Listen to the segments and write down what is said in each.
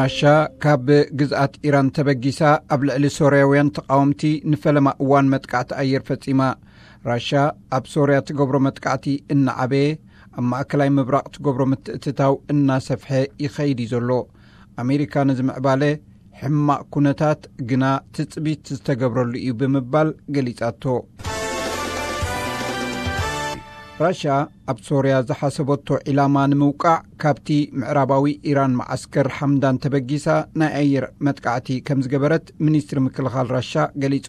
ራሻ ካብ ግዝኣት ኢራን ተበጊሳ ኣብ ልዕሊ ሶርያውያን ተቃወምቲ ንፈለማ እዋን መጥቃዕቲ ኣየር ፈጺማ። ራሻ ኣብ ሶርያ ትገብሮ መጥቃዕቲ እናዓበየ፣ ኣብ ማእከላይ ምብራቕ ትገብሮ ምትእትታው እናሰፍሐ ይኸይድ እዩ ዘሎ። ኣሜሪካ ነዚ ምዕባለ ሕማቕ ኩነታት ግና ትጽቢት ዝተገብረሉ እዩ ብምባል ገሊጻቶ። ራሻ ኣብ ሶርያ ዝሓሰበቶ ዒላማ ንምውቃዕ ካብቲ ምዕራባዊ ኢራን መዓስከር ሓምዳን ተበጊሳ ናይ ኣየር መጥቃዕቲ ከም ዝገበረት ሚኒስትሪ ምክልኻል ራሻ ገሊጹ።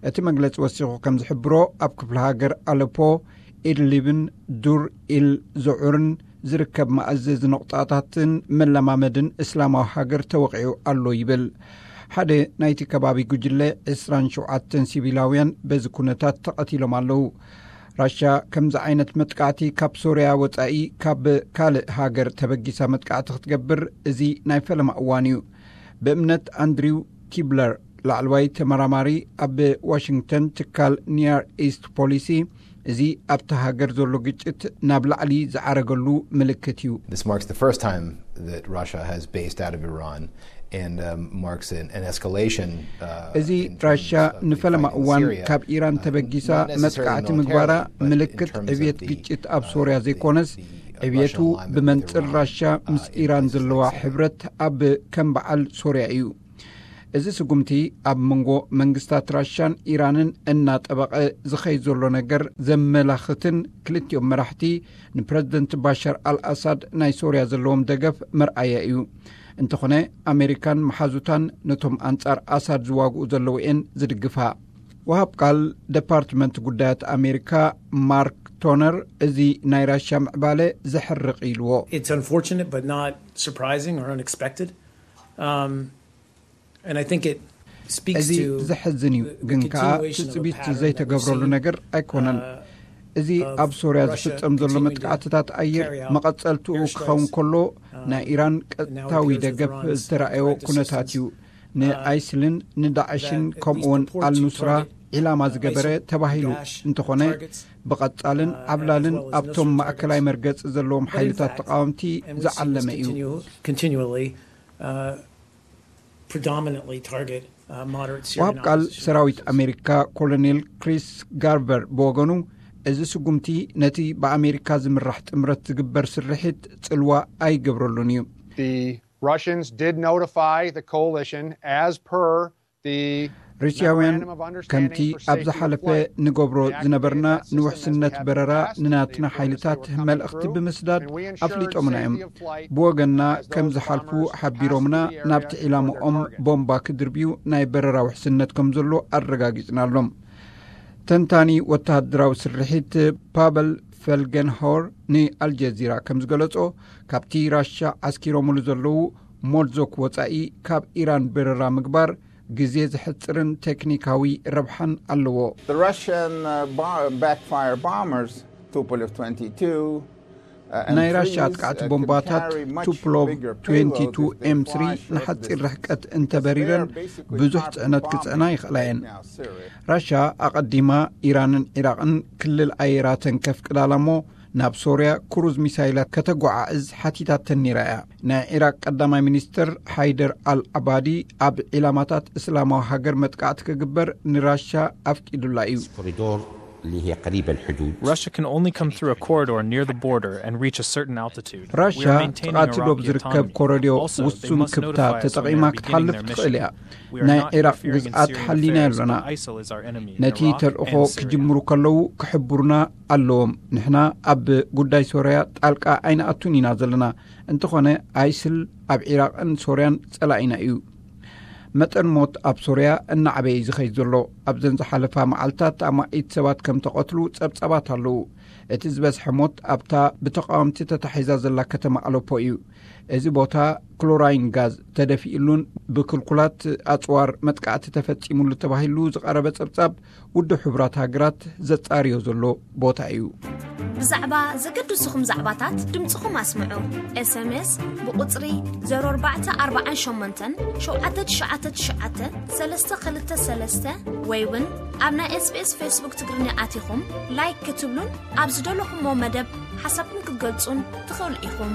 እቲ መግለጺ ወሲኹ ከም ዝሕብሮ፣ ኣብ ክፍለ ሃገር ኣለፖ፣ ኢድሊብን ዱር ኢል ዞዑርን ዝርከብ መኣዘዚ ነቑጣታትን መለማመድን እስላማዊ ሃገር ተወቒዑ ኣሎ ይብል። ሓደ ናይቲ ከባቢ ጉጅለ ዕስራን ሸውዓተን ሲቪላውያን በዚ ኩነታት ተቐቲሎም ኣለዉ። ራሻ ከምዚ ዓይነት መጥቃዕቲ ካብ ሶርያ ወጻኢ ካብ ካልእ ሃገር ተበጊሳ መጥቃዕቲ ክትገብር እዚ ናይ ፈለማ እዋን እዩ። ብእምነት ኣንድሪው ኪብለር፣ ላዕለዋይ ተመራማሪ ኣብ ዋሽንግተን ትካል ኒየር ኢስት ፖሊሲ፣ እዚ ኣብቲ ሃገር ዘሎ ግጭት ናብ ላዕሊ ዝዓረገሉ ምልክት እዩ። This marks the first time that Russia has based out of Iran and um, marks an, an escalation. Uh, እዚ in terms ራሻ of the ንፈለማ fight in እዋን Syria, ካብ ኢራን uh, ተበጊሳ not necessarily መጥቃዕቲ military, ምግባራ but in ምልክት terms of ዕብየት the, ግጭት ኣብ uh, ሶርያ the- ዘይኮነስ the ዕብየቱ Russian alignment with ብመንጽር Iran, ራሻ ምስ uh, in ኢራን places ዘለዋ like Syria. ሕብረት ኣብ ከም በዓል ሶርያ እዩ። እዚ ስጉምቲ ኣብ መንጎ መንግስታት ራሻን ኢራንን እናጠበቐ ዝኸይድ ዘሎ ነገር ዘመላኽትን ክልቲኦም መራሕቲ ንፕረዚደንት ባሻር ኣልኣሳድ ናይ ሶርያ ዘለዎም ደገፍ መርኣያ እዩ። እንተኾነ ኣሜሪካን መሓዙታን ነቶም ኣንጻር ኣሳድ ዝዋግኡ ዘለዉ እየን ዝድግፋ። ወሃብ ቃል ደፓርትመንት ጉዳያት ኣሜሪካ ማርክ ቶነር እዚ ናይ ራሻ ምዕባለ ዘሕርቕ ኢልዎ። It's unfortunate, but not surprising or unexpected. Um, and I think it speaks እዚ to ዘሕዝን እዩ፣ the- the ግን ከኣ continuation of a ትጽቢት pattern that we've ዘይተገብረሉ seen, ነገር ኣይኮነን። uh, እዚ of ኣብ ሶርያ Russia ዝፍጸም ዘሎ continuing to መጥቃዕትታት ኣየር carry out መቐጸልትኡ airstrikes, ክኸውን ከሎ፣ um, ናይ ኢራን and now it ቀጥታዊ appears that ደገፍ Iran's ዝተራእዮ threat to ኩነታት systems, እዩ። uh, ንኣይስልን ንዳዕሽን that it ከምኡውን needs to port to ኣልኑስራ target, ዒላማ uh, ዝገበረ ISIL ተባሂሉ dash እንተኾነ፣ targets, ብቐጻልን uh, as ዓብላልን well as ኣብቶም Nusra ማእከላይ targets. መርገጺ ዘለዎም But in ሓይልታት fact, ተቃወምቲ and we've seen ዝዓለመ this እዩ። continu- continually, uh, predominantly target uh, moderate Syrian ወሃብ ቃል opposition ሰራዊት forces. ኣሜሪካ ኮሎኔል ክሪስ ጋርቨር ብወገኑ፣ እዚ ስጉምቲ ነቲ ብኣሜሪካ ዝምራሕ ጥምረት ዝግበር ስርሒት ጽልዋ ኣይገብረሉን እዩ። The Russians did notify the coalition as per the ሩስያውያን memorandum of understanding ከምቲ for ኣብ safety of ዝሓለፈ flight. ንገብሮ We activated ዝነበርና that system as we ንውሕስነት had in the በረራ past. They ንናትና informed us they ሓይልታት were coming መልእኽቲ through, ብምስዳድ and we ensured ኣፍሊጦምና እዮም። safety of flight ብወገንና as those ከም ዝሓልፉ bombers passed ሓቢሮምና the area ናብቲ toward ዒላማኦም their target. ቦምባ ክድርብዩ ናይ በረራ ውሕስነት ከም ዘሎ ኣረጋጊጽናሎም። ተንታኒ ወተሃደራዊ ስርሒት ፓበል ፈልገንሆር ንኣልጀዚራ ከም ዝገለጾ፣ ካብቲ ራሻ ዓስኪሮምሉ ዘለዉ ሞልዞክ ወጻኢ ካብ ኢራን በረራ ምግባር ግዜ ዘሕጽርን ቴክኒካዊ ረብሓን ኣለዎ። The Russian uh, bar- backfire bombers, Tupolev twenty-two, uh, and ናይ ራሻ threes, ኣጥቃዕቲ uh, can ቦምባታት carry much ቱፕሎቭ bigger ትዌንቲ ቱ payload if they ኤም ስሪ fly short ንሓጺር distance. ርሕቀት እንተበሪረን They are basically ብዙሕ armed ጽዕነት bombing ክጽዕና ይኽእላ እየን። right now Syria. ራሻ ኣቐዲማ ኢራንን ዒራቕን ክልል ኣየራተን ከፍቅዳላ እሞ ናብ ሶርያ ክሩዝ ሚሳይላት ከተጓዓዕዝ ሓቲታተን ነይራ እያ። ናይ ዒራቅ ቀዳማይ ሚኒስትር ሓይደር ኣል ዓባዲ ኣብ ዒላማታት እስላማዊ ሃገር መጥቃዕቲ ክግበር ንራሻ ኣፍቂዱላ እዩ። كوريدور اللي هي قريبة الحدود. Russia can only come through a corridor near the border and reach a certain altitude. We ራሻ are maintaining ጥቓቲ ዶብ Iraqi ዝርከብ autonomy. ኮረድዮ Also, they ውሱን must ክብታ notify us when ተጠቒማ they're beginning ክትሓልፍ their ትኽእል mission. እያ። We are ናይ not ዒራቅ interfering in ግዝኣት Syrian ሓሊና affairs, የሎና። but ISIL is our enemy in ነቲ Iraq ተልእኾ and Syria. ክጅምሩ ከለዉ ክሕብሩና ኣለዎም። ንሕና ኣብ ጉዳይ ሶርያ ጣልቃ ኣይንኣቱን ኢና ዘለና። እንተኾነ ኣይስል ኣብ ዒራቕን ሶርያን ጸላኢና እዩ። መጠን ሞት ኣብ ሶርያ እናዓበየ እዩ ዝኸይድ ዘሎ። ኣብዘን ዝሓለፋ መዓልታት ኣማኢት ሰባት ከም ተቐትሉ ጸብጻባት ኣለዉ። እቲ ዝበዝሐ ሞት ኣብታ ብተቃወምቲ ተታሒዛ ዘላ ከተማ ኣለፖ እዩ። እዚ ቦታ ክሎራይን ጋዝ ተደፊኡሉን ብክልኩላት ኣጽዋር መጥቃዕቲ ተፈጺሙሉ ተባሂሉ ዝቐረበ ጸብጻብ ውድብ ሕቡራት ሃገራት ዘጻርዮ ዘሎ ቦታ እዩ። ብዛዕባ ዘገድስኹም ዛዕባታት ድምፅኹም ኣስምዑ። ኤስኤምኤስ ብቁፅሪ ዜሮ ኣርባዕተ ኣርባዓን ሸሞንተን ሸውዓተ ትሽዓተ ትሽዓተ ሰለስተ ክልተ ሰለስተ ወይ እውን ኣብ ናይ ኤስቢኤስ ፌስቡክ ትግርኛ ኣቲኹም ላይክ ክትብሉን ኣብ ዝደለኹሞ መደብ ሓሳብኩም ክትገልጹን ትኽእሉ ኢኹም።